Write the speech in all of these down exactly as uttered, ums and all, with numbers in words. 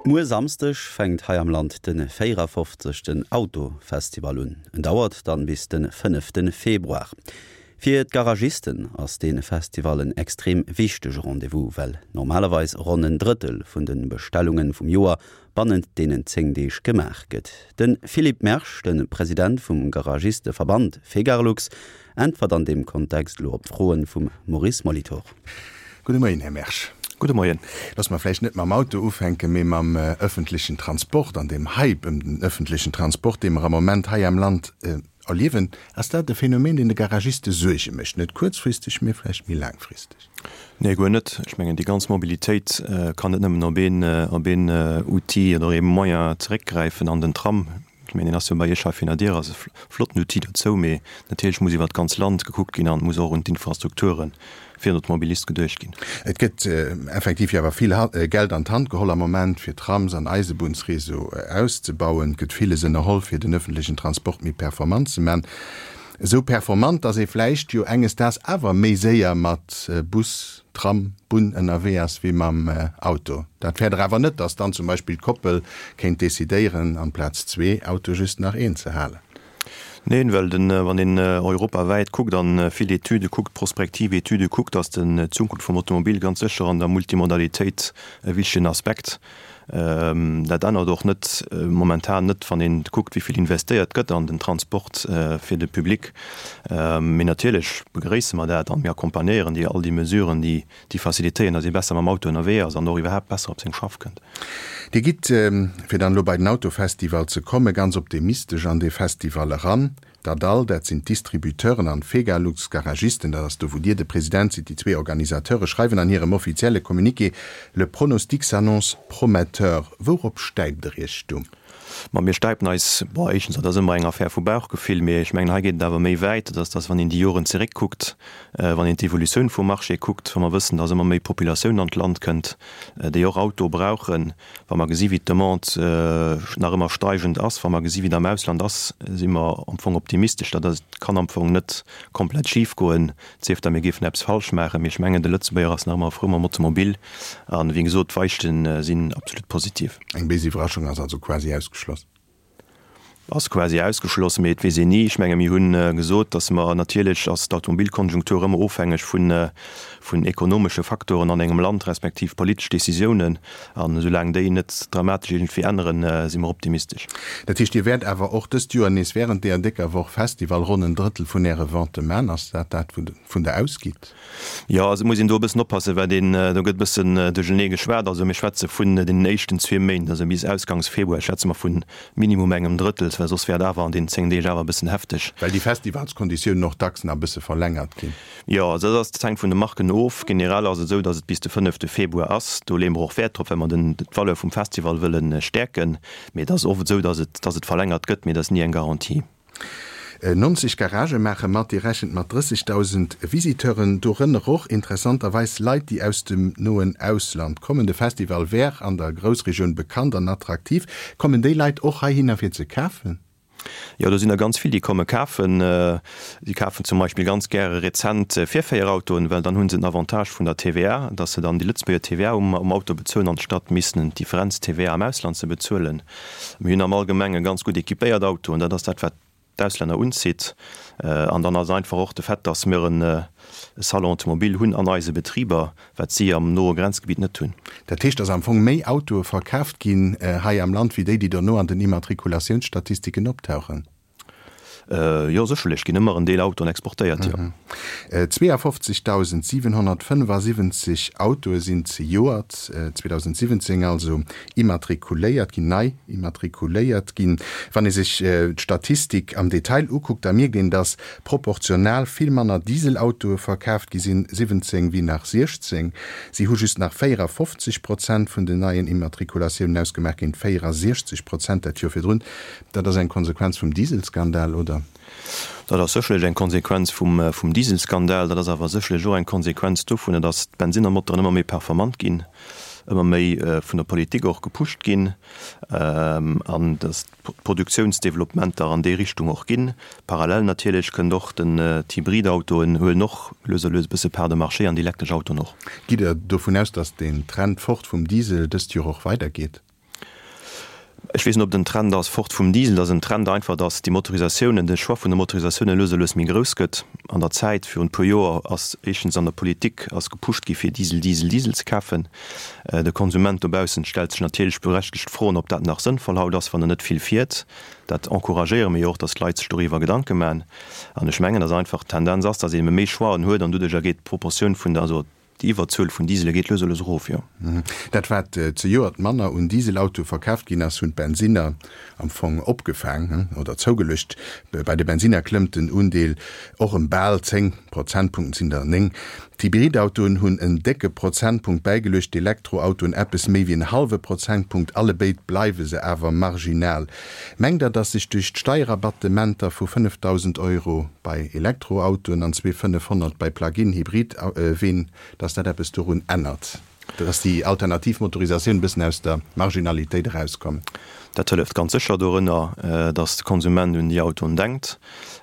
Muer Samsdeg fänkt hei am Land de véierafofzegsten Autofestival un. En dauert dann bis de fënnefte Februar. Fir d'Garagisten ass dee Festival en extrem wichtege Rendez-vous, well normalerweis ronn en Drëttel vun de Bestellunge vum Joer bannent deenen zéng Deeg gemaach gëtt. De Philippe Mersch, de President vum Garagisteverband Fegarlux, äntwert an deem Kontext elo op d'Froen vum Maurice Molitor. Gudde Moien, Här Mersch. Gudde Moien. Loosse mer vläicht net mam Auto ufänken, mee mam ëffentlechen Transport an deem Hype ëm den ëffentlechen Transport, dee mer am Moment hei am Land erliewen. Ass dat e Phänomen, deen de Garagiste Suerge mécht? Net kuerzfristeg, mee vläicht méi laangfristeg? Nee, guer net. Ech mengen, déi ganz Mobilitéit kann net nëmmen op een, op een Outil oder ee Moyen zeréckgräifen an den Tram. Ech mengen, deen ass jo bei Iech hei virun der Dier, ass e flotten Outil dozou, mee natierlech muss iwwert d'ganz Land gekuckt ginn an et muss och un d'Infrastrukture fir den Automobilist geduecht ginn. Et gëtt effektiv jo awer vill Geld an d'Hand geholl am Moment, fir Trams an Eisebunnsreseau auszebauen. Et gëtt villes ënnerholl, fir den öffentlechen Transport méi performant ze man. Esou performant, datt ee vläicht jo enges Daags awer méi séier mat Bus, Tram, Bunn ënnerwee ass wéi mam Auto. Dat fäert Der awer net, datt dann zum Beispill d'Koppel kéint decidéieren, amplaz zwee Autoe just nach een ze halen? Neen, well den, wann een europawäit kuckt an vill Etüde kuckt, prospektiv Etüde kuckt, ass den d'Zukunft vum Automobil ganz sécher an der Multimodalitéit e wichtegen Aspekt. Dat ännert och net momentan net, wann een kuckt, wéi vill investéiert gëtt an den Transport fir de Public. Mee natierlech begréisse mer dat an mir accompagnéieren déi all déi Mesuren, déi déi facilitéieren, datt ee besser mam Auto ënnerwee ass an och iwwerhaapt besser op seng Schaff kënnt. Dir gitt, fir dann elo bei den Autofestival ze kommen, ganz optimistesch an dee Festival eran. D'ADAL, dat sinn d'Distributeuren, an d'Fegalux, d'Garagisten, dat ass do wou Dir de President sidd, déi zwee Organisateure schreiwen an hirem offizielle Communiqué, Le pronostic s'annonce prometteur. Wourop stäipt Der Iech do? Ma mir stäipen eis, bon, éischtens, dat ass ëmmer eng Affär vu Bauchgefill, mee ech mengen, hei geet et awer méi wäit, dat ass, dass wann een déi Joren zeréckkuckt, wann een d'Evolutioun vum Marché kuckt, wa mer wëssen, dass ëmmer méi Populatioun an d'Land kënnt, déi och Auto brauchen, wa mer gesi wéi d'Demande nach ëmmer steigend ass, wa mer gesi wéi et am Ausland ass, si mer am Fong optimistesch. Dat ass, kann am Fong net komplett schif goen, et sief da mir géifen eppes falsch maachen. Mee ech mengen, de Lëtzebuerger ass nach ëmmer frou mam Automobil an, wéi gesot, d'Weichte sinn absolut positiv. Eng béis Iwwerraschung ass also quasi ausgeschloss. Ass quasi ausgeschloss, mee et weess een ni. Ech menge mir hunn gesot, datt mer, natierlech ass d'Automobilkonjunktur ëmmer ofhängeg vun vun ekonomesche Faktoren an engem Land, respektiv politesch Décisiounen, an esoulaang déi net dramatesch iergendwéi änneren, si mer optimistesch. Dat heescht, Dir wäert awer och dëst Joer nees während deeër décker Woch Festival ronn en Drëttel vun Äre Vente man. Ass dat dat, wouvun Der ausgitt? Jo, also et muss een do e bëssen oppassen, wat een, do gëtt e bëssen duerchenee geschwat. Also mir schwätze vun deenen éischten zwee Méint, also bis ausgangs Februar schwätze mer vu minimum engem Drëttel, well soss wär et awer an deenen zéng Deeg awer e bëssen hefteg. Well déi Festivalskonditiounen och dacks nach e bësse verlängert ginn. Jo, also dat ass, dat hänkt vun de Marken of. Generell ass et esou, datt et bis de fënnefte Februar ass. Do leeë mer och Wäert drop, well mer den, d'Valeur vum Festival wëlle stäerken. Mee et ass oft esou, datt et, datt et verlängert gëtt, mee dat ass ni eng Garantie. Nonzeg Garagë maache mat, Dir rechent mat drëssegdausend Visiteuren, dorënner och interessanterweis Leit, déi aus dem noen Ausland kommen. De Festival wär an der Groussregioun bekannt an attraktiv. Kommen déi Leit och heihinner fir ze kafen? Jo, do sinn der ganz vill, déi komme kafen. Si kafen zum Beispill ganz gäre rezent Virféierautoen, well dann hu se den Avantage vun der T V A, datt se dann déi Lëtzebuerger T V A um Auto bezuelen, anstatt missen d'Differenz-T V A am Ausland ze bezuelen. Mir hunn am Allgemenge ganz gutt equipéiert Autoen, dat ass dat, wat d'Auslänner unzitt. An dann ass einfach och de Fait, datt mir e Salon automobile hunn an eise Betriber, wat si am noe Grenzgebitt net hunn. Dat heescht, datt am Fong méi Autoe verkaaft ginn hei am Land wéi déi, déi dono an den Immatrikulatiounsstatistiken optauchen? Jo, sécherlech ginn ëmmer en Deel Autoen exportéiert, jo. Zweeafofzegdausendsiwenhonnertfënnefasiwwenzeg Autoe sinn zejoert, zweedausendsiwwenzéng also, immatrikuléiert ginn, nei immatrikuléiert ginn. Wann ee sech d'Statistik am Detail ukuckt, da mierkt een, datt proportional vill manner Dieselautoe verkaaft gi sinn siwwenzéng wéi nach siechzéng. Si hu just nach véierafofzeg Prozent vun den neien Immatrikulatiounen ausgemaach, géint véierasiechzeg Prozent dat Joer virdrun. Dat ass eng Konsequenz vum Dieselskandal, oder? Dat ass sécherlech eng Konsequenz vum Dieselskandal. Dat ass awer sécherlech och eng Konsequenz dovunner, datt d'Bensinnermotoren ëmmer méi performant ginn, ëmmer méi vun der Politik och gepusht ginn an datt d'Produktiounsdeveloppementer an déi Richtung och ginn. Parallel natierlech kënnt och den, d'Hybridautoen huelen och lues a lues e bësse Part de marché an déi elektresch Autoen och. Gitt Der dovun aus, datt deen Trend fort vum Diesel dëst Joer och weidergeet? Ech weess net, ob et en Trend ass fort vum Diesel. Et ass en Trend einfach, datt déi Motorisatiounen, de Choix vun de Motorisatiounen lues a lues méi grouss gëtt. An der Zäit virun e puer Joer ass éischtens an der Politik ass gepusht gi fir Diesel, Diesel, Diesel ze kafen. De Konsument dobaussen stellt sech natierlech berechtegt Froen, ob dat nach sënnvoll haut ass, wann en net vill fiert. Dat encouragéiere mir jo och, datt d'Leit sech doriwwer Gedanke maachen. An ech mengen, datt einfach d'Tendenz ass, datt een ebe méi Choixen huet an doduercher geet d'Proportioun vun der, also Déi Iwwerzuel vun Diesele geet lues a lues erof, jo. Dat wat zejoert manner un Dieselautoe verkaaft ginn ass, hunn d'Bensinner am Fong opgefaang oder zougeluecht. Bei de Bensinner klëmmt den Undeel och ëm bal zéng Prozentpunkten, et sinn der néng. D'Hybridautoen hunn en décke Prozentpunkt bäigeluecht, d'Elektroautoen eppes méi wéi en hallwe Prozentpunkt. Allebéid bleiwe se awer marginal. Mengt Der, datt sech duerch d'Steierrabattementer vu fënnefdausend Euro bei Elektroautoen an zwee fënnefhonnert bei Plug-in-Hybrid-Ween, dass dat eppes dorun ännert, dass déi alternativ Motorisatioun e bëssen aus der Marginalitéit erauskommen? Dat hëlleft ganz sécher dorënner, dass de Konsument un déi Autoen denkt.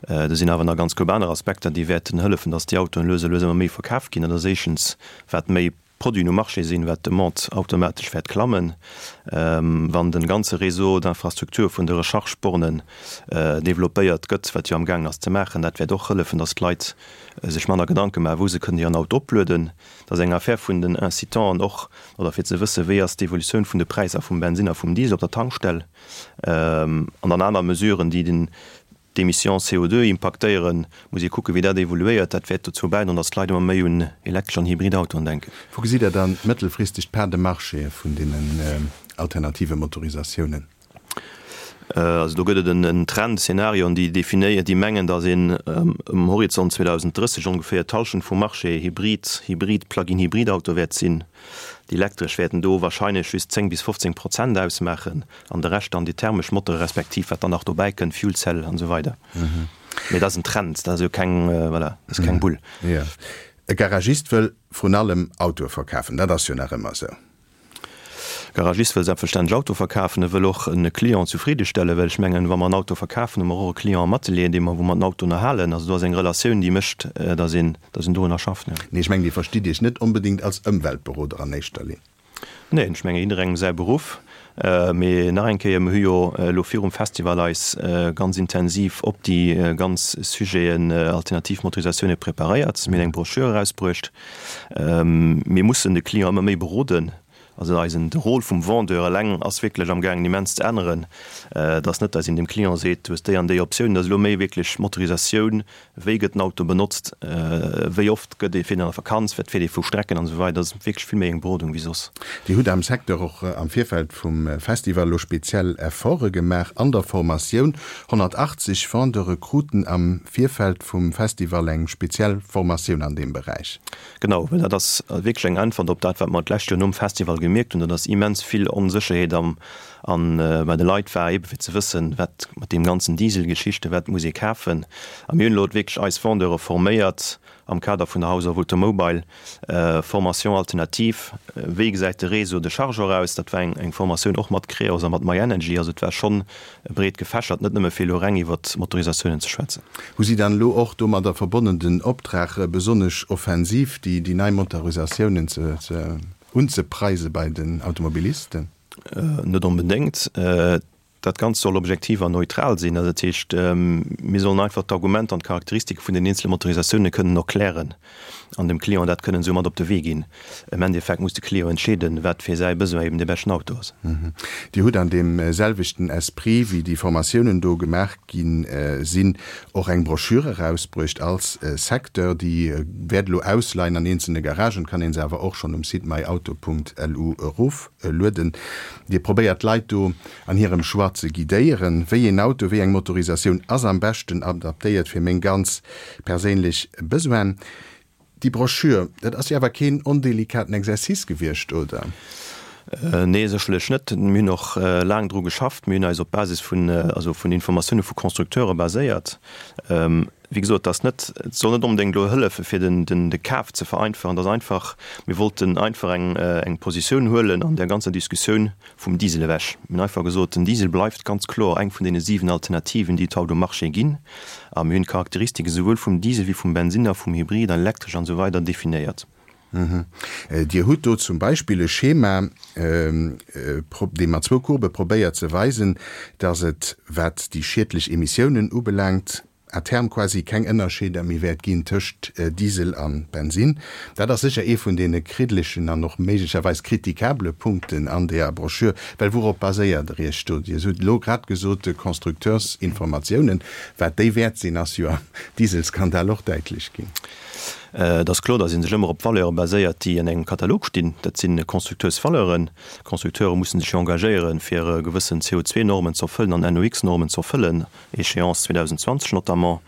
Do sinn awer nach ganz group aner Aspekter, déi wäerten hëllefen, dass déi Autoen lues a lues ëmmer méi verkaf ginn. Dat ass éischtens, wat méi Produiten um Marché sinn, wat d'Demande automatesch wäert klammen, wann de ganze Réseau d'infrastructure vun de Recharge-Bornen développéiert gëtt, wat jo amgaangen ass ze maachen. Dat wäert och hëllefen, datt d'Leit sech manner Gedanke maachen, wou se kënnen hiren Auto oplueden. Dat ass eng Affaire vun den Incitanten och, oder fir ze wëssen, wéi ass d'Evolutioun vun de Präisser vum Bensinn a vum Diesel op der Tankstell an dann aner Mesuren, déi den d'Emissions C O deux impaktéieren, muss ee kucken, wéi dat evoluéiert. Dat wäert dozou bäidroen, datt d'Leit ëmmer méi un elektresch an hybrid Autoen denken. Wou gesitt Der dann mëttelfristeg d'Part de marché vun deenen alternative Motorisatiounen? Also do gëtt et en Trend, Szenarioen, déi definéieren, déi mengen, datt een um Horizont zweedausend drësseg ongeféier d'Hallschent vum Marché Hybrid, Hybrid, Plug-in-Hybrid-Auto wäert sinn. Déi elektresch wäerten do wahrscheinlech just zéng bis fofzéng Prozent ausmaachen an de Rescht dann déi thermesch Moteure respektiv wat dann nach dobäi kënnt, Fuel Cell an esou weider. Mee dat ass en Trend, dat ass jo keng, voilà, dat ass keng Bull. Jo. E Garagist wëll vrun allem Autoe verkafen, dat ass jo nach ëmmer esou. Garagist wëll selbstverständlech Auto verkafen, e wëll och e Client zufridde stellen, well ech mengen, wa mer en Auto verkafen, hu mer och e Client am Atelier, dee mer, wou mer den Auto ënnerhalen. Also do ass eng Relatioun, déi mécht, datt een, datt een dorunner schafft, jo. Nee, ech mengen, Dir verstitt Iech net onbedéngt als Ëmweltberoder an éischter Linn. Neen, ech mengen, jidderengem säi Beruff. Mee nach eng Kéier, mer hu jo elo virum Festival eis ganz intensiv op déi ganz Sujeten alternativ Motorisatioune preparéiert. Mir hunn eng Broschür erausbruecht. Mir mussen de Client ëmmer méi beroden. Also eisen, de Rôle vum Vendeur eleng ass wierklech amgaangen immens ze änneren. Et ass net, datt een dem Client seet, du hues déi an déi Optioun. Et ass elo méi wierklech Motorisatioun, wéi gëtt den Auto benotzt, wéi oft gëtt ee, fiert een an der Vakanz, wat fiert ee vu Strecken an esou weider. Dat ass wierklech vill méi eng Berodung wéi soss. Dir hutt am Secteur och am Virfeld vum Festival elo speziell Efforte gemaach an der Formatioun. honnertachtzeg Vendeure kruten am Virfeld vum Festival eng speziell Formatioun an deem Beräich. Genau, well dat ass wierklech eng Äntwert op dat, wat mer d'lescht Joer nom Festival gemierkt hunn, datt immens vill Onsécherheet am an bei de Leit war, eebe fir ze wëssen, wat mat deem ganzen Dieselgeschichte, wat muss ee kafen. A mir hunn elo wierklech eis Vendeure forméiert am Kader vun der House of Automobile, Formation alternative, wéi gesäit de Réseau de chargeur aus. Dat war eng eng Formatioun och mat Creos a mat myenergy. Also et war schonn breet gefächert, net nëmme fir elo reng iwwert d'Motorisatiounen ze schwätzen. Hu si dann elo och domadder verbonnen den Optrag, besonnesch offensiv déi déi nei Motorisatiounen ze ze unzepreise bei den Automobilisten? Net onbedéngt. Dat Ganzt soll objektiv an neutral sinn. Also dat heescht, mir sollen einfach d'Argumenter an d'Charakteristike vun den eenzele Motorisatioune kënnen erklären an dem Client dat kënnen esou mat op de Wee ginn. Am Endeffekt muss de Client entscheeden, wat fir säi Besoin eben dee beschten Auto ass. Dir hutt an deem selwechten Esprit, wéi déi Formatiounen do gemaach gi sinn, och eng Broschür erausbruecht als Secteur. Déi wäert elo ausleien an eenzelne Garagen, kann ee se awer och schonn um Site myauto Punkt L U eroflueden. Dir probéiert d'Leit do an hirem Choix ze guidéieren. Wéi een Auto, wéi eng Motorisatioun ass am beschten adaptéiert fir meng ganz perséinlech Besoinen? Déi Broschür, dat ass jo awer keen ondelikaten Exercice gewiescht, oder? Nee, sécherlech net. Mir hunn och laang dru geschafft. Mir hunn eis op Basis vun, also vun Informatioune vu Constructeure baséiert. Wéi gesot, et ass net, et soll net onbedéngt elo hëllefe fir den, den, de Kaf ze vereinfachen. Et ass einfach, mir wollten einfach eng, eng Positioun huelen an där ganzer Diskussioun vum Diesel ewech. Mir hunn einfach gesot, den Diesel bleift ganz kloer eng vun deene siwen Alternativen, déi et haut um Marché ginn. A mir hunn d'Charakteristike souwuel vum Diesel wéi vum Bensinner, vum Hybrid an elektresch an esou weider definéiert. Dir hutt do zum Beispill e Schema, dee mat zwou Courbë probéiert ze weisen, dass et, wat déi schiedlech Emissiounen ubelaangt, à terme quasi keng Ënnerscheeder méi wäert ginn tëscht Diesel a Bensinn. Dat ass sécher ee vun deene kriddlechen an och méiglecherweis kritikabele Punkten an deeër Broschür. Well wourop baséiert Der Iech do? Dir hutt elo grad gesot, de Constructeursinformatiounen. Wat déi wäert sinn, ass jo am Dieselskandal och däitlech ginn. Et ass kloer, datt ee sech ëmmer op Valeure baséiert, déi an engem Katalog stinn. Dat si Constructeursvaleuren. D'Constructeure musse sech jo engagéieren, fir gewëssen C O zwei Normen ze erfëllen an N O X Normen ze erfëllen, Échéance zweedausendszwanzeg notamment.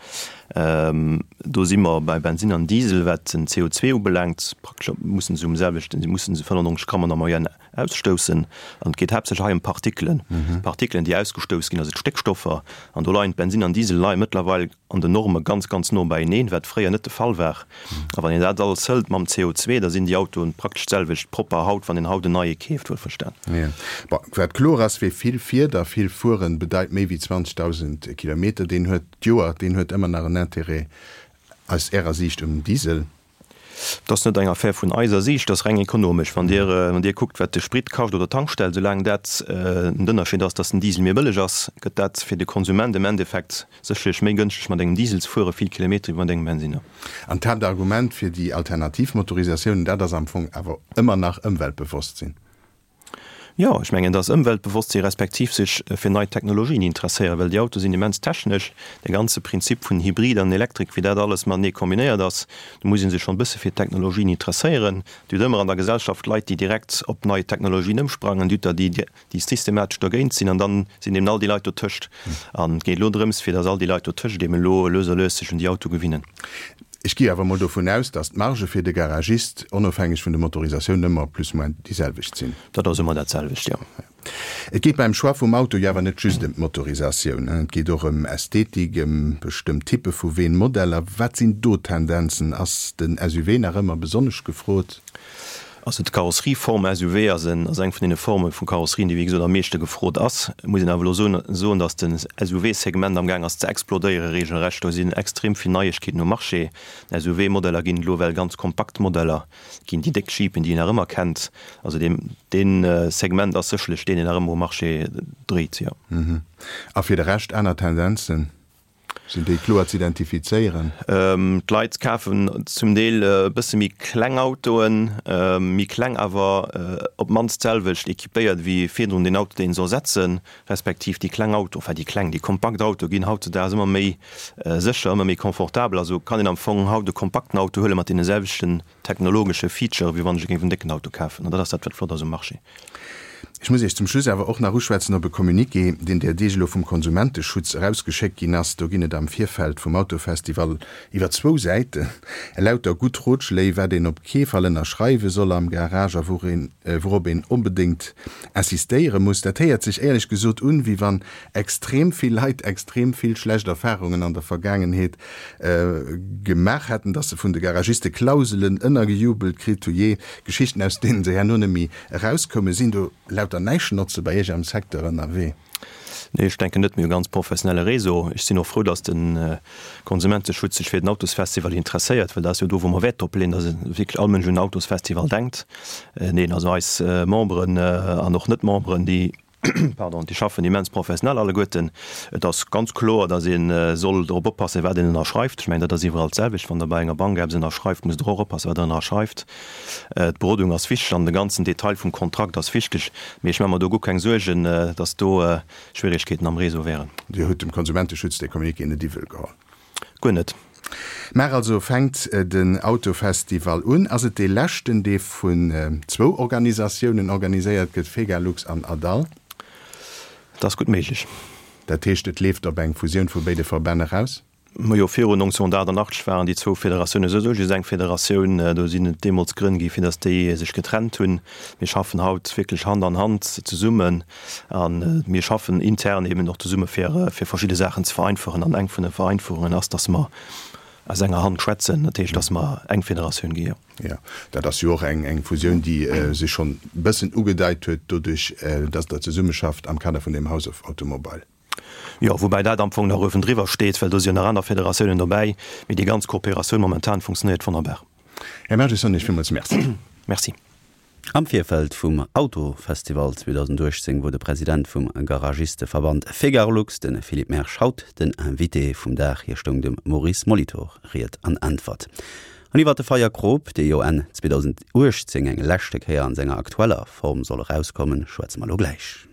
Do si mer bei Bensinn an Diesel, wat den C O zwei ubelaangt, praktesch mussen se um selwechten, si mussen se fënnefundneunzeg Gramm an der Moyenne ausstoussen. An et geet haaptsächlech hei ëm Partikelen, Partikelen, déi ausgestouss ginn, also d'Stéckstoffer. An do leien d'Bensinn an Diesel leie mëttlerweil an den Norme ganz, ganz no beieneen, wat fréier net de Fall war. A wann een dat alles hëlt mam C O zwei, da sinn déi Autoen praktesch d'selwecht propper haut, wann een haut en neie keeft, wuelverstan. Jo. Bon, wat kloer ass, wie vill fiert a vill fueren bedeit méi wéi zwanzegdausend Kilometer, deen huet d'Joer, deen huet ëmmer nach en Intérêt aus Ärer Siicht um Diesel. Dat ass net eng Affär vun eiser Siicht, dat ass reng ekonomesch. Wann Dir, wann Dir kuckt, wat de Sprit kascht oder d'Tankstell, soulaang dat den Ënnerscheed ass, dass den Diesel méi bëlleg ass, gëtt dat fir de Konsument am Endeffekt sécherlech méi gënschteg, mat engem Diesel ze fuere vill Kilometer wéi mat engem Bensinner. An d'Haaptargument fir déi alternativ Motorisatiounen, dat ass am Fong awer ëmmer nach Ëmweltbewosstsinn. Jo, ech mengen, dass Ëmweltbewosstsinn respektiv sech fir nei Technologien interesséieren, well déi Autoe sinn immens technesch. De ganze Prinzip vun Hybrid an Elektrik, wéi dat alles matenee kombinéiert ass, do muss ee sech schonn e bësse fir d'Technologien interesséieren. Dir hutt ëmmer an der Gesellschaft Leit, déi direkt op nei Technologien ëmsprangen, Dir hutt der, déi, déi systematesch dergéint sinn, an dann sinn eben all déi Leit dotëscht. An et geet elo drëms, fir dass all déi Leit dotëscht eben elo lues a lues sech un déi Autoe gewinnen. Ech gi awer mol dovun aus, dass d'Marge fir de Garagist, onofhängeg vun de Motorisatiounen, ëmmer plus ou moins déi selwecht sinn. Dat ass ëmmer dat selwecht, jo. Et geet beim Choix vum Auto jo awer net just ëm d'Motorisatioun, et geet och ëm Ästhetik, ëm bestëmmt Typpe vu Ween, Modeller. Wat sinn do d'Tendenzen? Ass den S U V nach ëmmer besonnesch gefrot? Also d'Karosserieform S U V ass en, ass eng vun deene Forme vu Karosserien, déi wéi gesot am meeschte gefrot ass. Et muss een awer elo soen, soen, datt den S U V-Segment am Gaang ass ze explodéiere regelrecht. Do sinn extrem vill Neiegkeeten um Marché. S U V-Modeller ginn elo well ganz kompakt Modeller ginn, déi déck Jeepen, déi een nach ëmmer kennt. Also deen, deen Segment ass sécherlech deen, deen nach ëmmer um Marché dréit, jo. Mhm. A fir de Rescht aner Tendenzen? Sinn déi kloer ze identifizéieren? D'Leit kafen zum Deel e bësse méi kleng Autoen, méi kleng awer op d'mannst d'selwecht équipéiert wéi virdrun den Auto, deen se ersetzen, respektiv déi kleng Auto, enfin déi kleng, déi kompakt Autoe ginn hautzedaags ëmmer méi sécher, ëmmer méi confortabel. Also kann een am Fong haut e kompakten Auto huele mat deene selwechten technologesche Feature, wéi wann ech géif en décken Auto kafen. An dat ass dat, wat flott ass um Marché. Ech muss Iech zum Schluss awer och nach uschwätzen op e Communiqué, deen där Deeg elo vum Konsumenteschutz erausgeschéckt ginn ass. Do ginn et am Virfeld vum Autofestival iwwer zwou Säiten elauter gutt Rotschléi, wat een op kee Fall ënnerschreiwe soll am Garage a wourop een onbedéngt insistéiere muss. Dat héiert sech éierlech gesot un, wéi wann extrem vill Leit extrem vill schlecht Erfarungen an der Vergaangenheet gemaach hätten, dass se vun de Garagiste Klauselen ënnergejubelt kritt hu, jee Geschichten, aus deenen se herno net méi erauskoumen. Sinn do lauter Näischnotze bei Iech am Secteur ënnerwee? Nee, ech denken net, mir hu ganz professionelle Réseau. Ech sinn och frou, dass de Konsumenteschutz sech fir den Autosfestival interesséiert, well dat ass jo do, wou mer Wäert drop leeën, dass wierklech all Mënsch un den Autosfestival denkt. Neen, also eis Memberen an och Net-Memberen, déi, pardon, déi schaffen immens professionell alleguerten. Et ass ganz kloer, dass ee soll drop oppassen, wat een ënnerschreift. Ech mengen, dat ass iwwerall d'selwecht. Wann Der bei enger Bank eppes ënnerschreift, musst Der och oppassen, wat Der ënnerschreift. D'Berodung ass wichteg an de ganzen Detail vum Kontrakt ass wichteg. Mee ech maache mer do guer keng Suergen, dass do Schwierigkeeten am Réseau wären. Dir hutt dem Konsumenteschutz dee Communiqué net iwwel geholl? Guer net. Mar also fänkt den Autofestival un. Ass et dee leschten, dee vun zwou Organisatiounen organiséiert gëtt, Fegalux an Adal? Dat ass gutt méiglech. Dat heescht, et leeft op eng Fusioun vu béide Verbänn eraus? Majo, virun neunzehnhundertachtundachtzeg waren déi zwou Federatiounen souwisou just eng Federatioun. Do sinn et deemools Grënn gi fir datt déi sech getrennt hunn. Mir schaffen haut wierklech Hand an Hand zesummen an mir schaffen intern eben och zesumme fir, fir verschidde Saachen ze vereinfachen. An eng vun de Vereinfachungen ass, datt mer aus enger Hand schwätzen, dat heescht, datt mer eng Federatioun gi, jo. Jo, dat ass jo och eng, eng Fusioun, déi sech schonn e bëssen ugedeit huet, doduerch, datt Der zesummeschafft am Kader vun dem House of Automobile. Jo, woubäi dat am Fong nach uewendriwwer steet, well do si jo nach aner Federatiounen dobäi, mee déi ganz Kooperatioun momentan funktionéiert wonnerbar. Här Mersch, ech soen Iech villmools Merci. Merci. Am Virfeld vum Autofestival zweedausenduechtzéng wor de President vum Garagisteverband Fegarlux, de Philippe Mersch, haut den Invité vum Dag. Hie stoung dem Maurice Molitor Ried an Äntwert. An iwwer de Feierkrop, dee jo Enn zweedausenduechtzéng eng leschte Kéier an senger aktueller Form soll erauskommen, schwätze mer elo gläich.